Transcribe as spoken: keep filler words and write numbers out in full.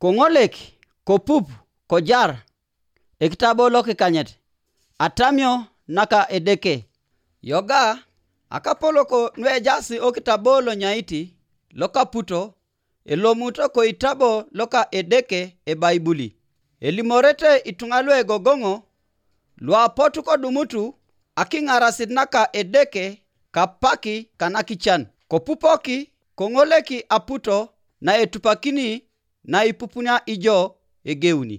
Koŋolek, kopup, kojar ekitabo lokikanyet, atamio naka Edeke. Yoga, akapolok nuejaas okitabo lonyaiti lokaputo, elomuto koitabo loka Edeke ebaibuli, elimorete ituŋa luegogoŋo, luapotu kodumutu akiŋarasit naka Edeke kapaki kanakican, kopupoki koŋoleki aputo naetupakini naipupunia ijo egeuni.